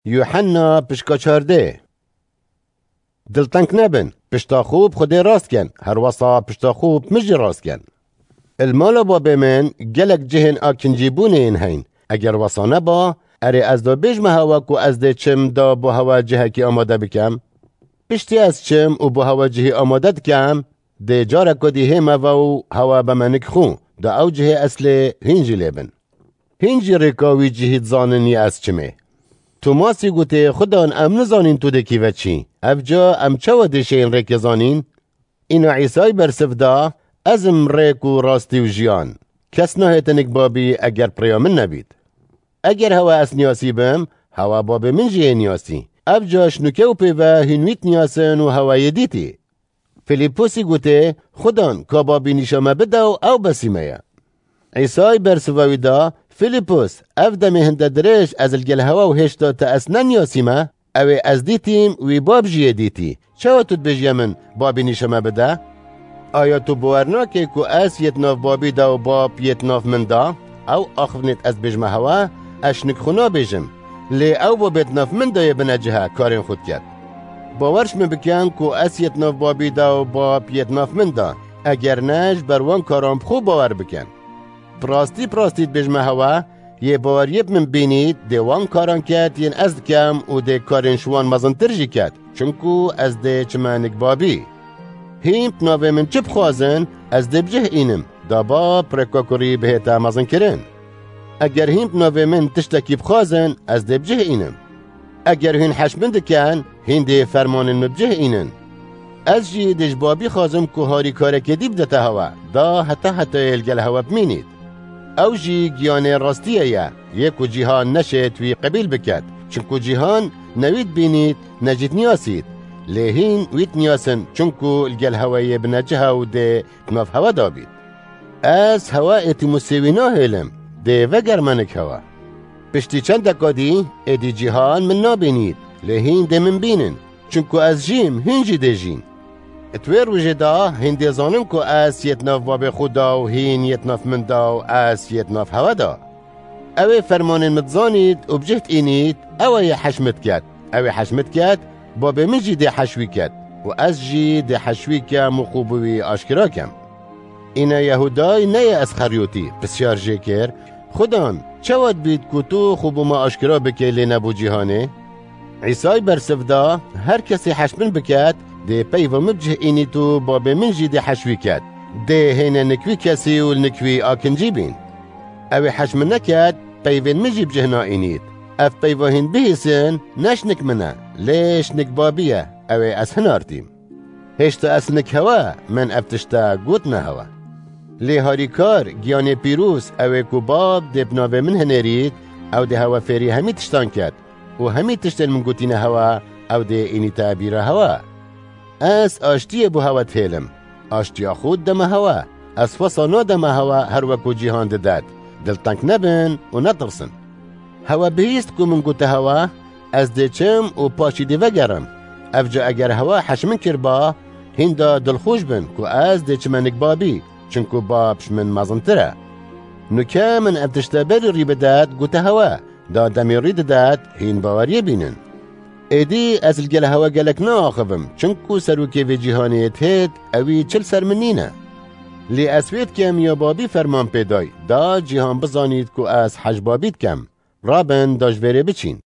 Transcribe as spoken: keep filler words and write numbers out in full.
Yuhanna pişka çardeh. Dilteng nebin, pişta xwe bi Xwedê rast ken, herwesa pişta xwe bi min jî rast ken. Li mala babê min gelek cihên akincîbûnê yên heyn. Eger wesa neba, erê ez da bêjme hewa ku ez dê çim da bo hewa cihekî amade bikem? Piştî ez çim û bo hewa cihî amade dikem, dê careka dî hême ve û hewa beme nik xwe, da ew cihê eslê hîn jî lê bin. Hîn jî rêka wî cihî dizanin ya ez çimê. Tomasî gotê, Xudan, em nizanîn tu dê kî ve çî. Ev ca em çawa dê şêyin rêkê zanîn? Îna Îsay bersiv da, Ez im rêk û rastî û jiyan. Kes nahête nik babî eger bi rêya min nebît. Eger hewa ez niyasî bim, hewa babê min jî yê niyasî. Ev ca ji nûke û pê ve hîn wî diniyasin û hewa yê dîtî. Filîpusî gotê, Xudan, ka babî nîşa me bide û ew besî me ye. Îsay bersiva wî da, Filîpus, ev demê hinde dirêj ez li gel hewa û hêşta te ez neniyasîme? Ew ê ez dîtîm, wî bab jî yê dîtî. Çawa tu dibêjiye min, babî nîşa me bide? Aya tu bawer nake ku ez yê di nav babî de û bab yê di nav min de? Ew axivnêt ez bêjme hewa, ez şinik xwe nabêjim. Lê ew babê di nav min de yê bine cihe karên xwe diket. Bawer ji min bikin ku ez yê di nav babî de û bab yê di nav min de. Eger ne, ji ber wan karan bi xwe bawer bikin. Bi rastî, bi rastî dibêjme hewa, yê baweriyê bi min bînît, dê wan karan ket yên ez dikem û dê karên ji wan mezintir jî ket, çinku ez dê çime nik babî. Hîn bi navê min çi bixwazin, ez dê bi cih înim, da bab rêka kurî bihête mezinkirin. Eger hîn bi navê min tiştekî bixwazin, ez dê bi cih înim. Eger hîn heş min dikin, hîn dê fermanên min bi cih înin. Ez jî dê ji babî xwazim ku harîkarekê dî bidete hewa, da heta hetayê li gel hewa bimînît. Ew jî giyanê rastiyê ye, yê ku cîhan neşêt wî qebîl biket, çinku cîhan ne wî dibînît, ne jî diniyasît. Lê hîn wî diniyasin, çinku li gel hewayê bine ciha û dê di nav hewa de bît. Ez hewa ê Tîmûsê wî nahêlim, dê vegerme nik hewa. Piştî çend deka dî, êdî cîhan min nabînît, lê hîn dê min bînin, çinku ez jîm, hîn jî dê jîn. Di wê rojê de hîn dê zanin ku ez yê di nav babê xwe de û hîn yê di nav min de û ez yê di nav hewa de. Ew ê fermanên min dizanît û bi cih dînît, ew ê yê heş min diket. Ew ê heş min diket, babê min jî dê heş wî ket û ez jî dê heş wî kem û xwe bi wî aşkera kem. Îna Yehûday neyê Esxeryotî, pisyar jê kir, Xudan, çawa dibît ku tu xwe bo me aşkera bikê lê ne bo cîhanê? Îsay bersiv da, Her kesê heş min biket, dê peyva min bi cih înît û babê min jî dê heş wî ket. Dê hêne nik wî kesî û li nik wî akincî bîn. Ew ê heş min neket, peyvên min jî bi cih naînît. Ev peyva hîn bihîsin, ne ji nik min e, lê ji nik babî ye, ew ê ez hinartîm. Hêşta ez nik hewa, min ev tişta gotine hewa. Lê harîkar, giyanê pîroz, ew ê ku bab dê bi navê min hinêrît, ew dê hewa fêrî hemî tiştan ket û hemî tiştên min gotîne hewa, ew dê înîte bîra hewa. Ez aştiyê bo hewa dihêlim. Aştiya xwe dideme hewa. Ez wesa nademe hewa her wek ku cîhan didet. Dilteng nebin û netirsin. Hewa bihîst ku min gote hewa, ez dê çim û paşî dê vegerim. Ev ca eger hewa heş min kirba, hînda dilxweş bin ku ez dê çime nik babî, çinku bab ji min mezintir e. Nuke min ev tişte berî rî bidet, gote hewa, da demê rî didet, hîn baweriyê bînin. Êdî ez li gel hewa gelek naaxivim, çinku serokê vê cîhanê yê dihêt, ewî çi li ser min nîne. Lê ez wê dikem ya babî ferman pê day, da cîhan bizanît ku ez heş babî dikem. Rabin da ji vêrê biçîn.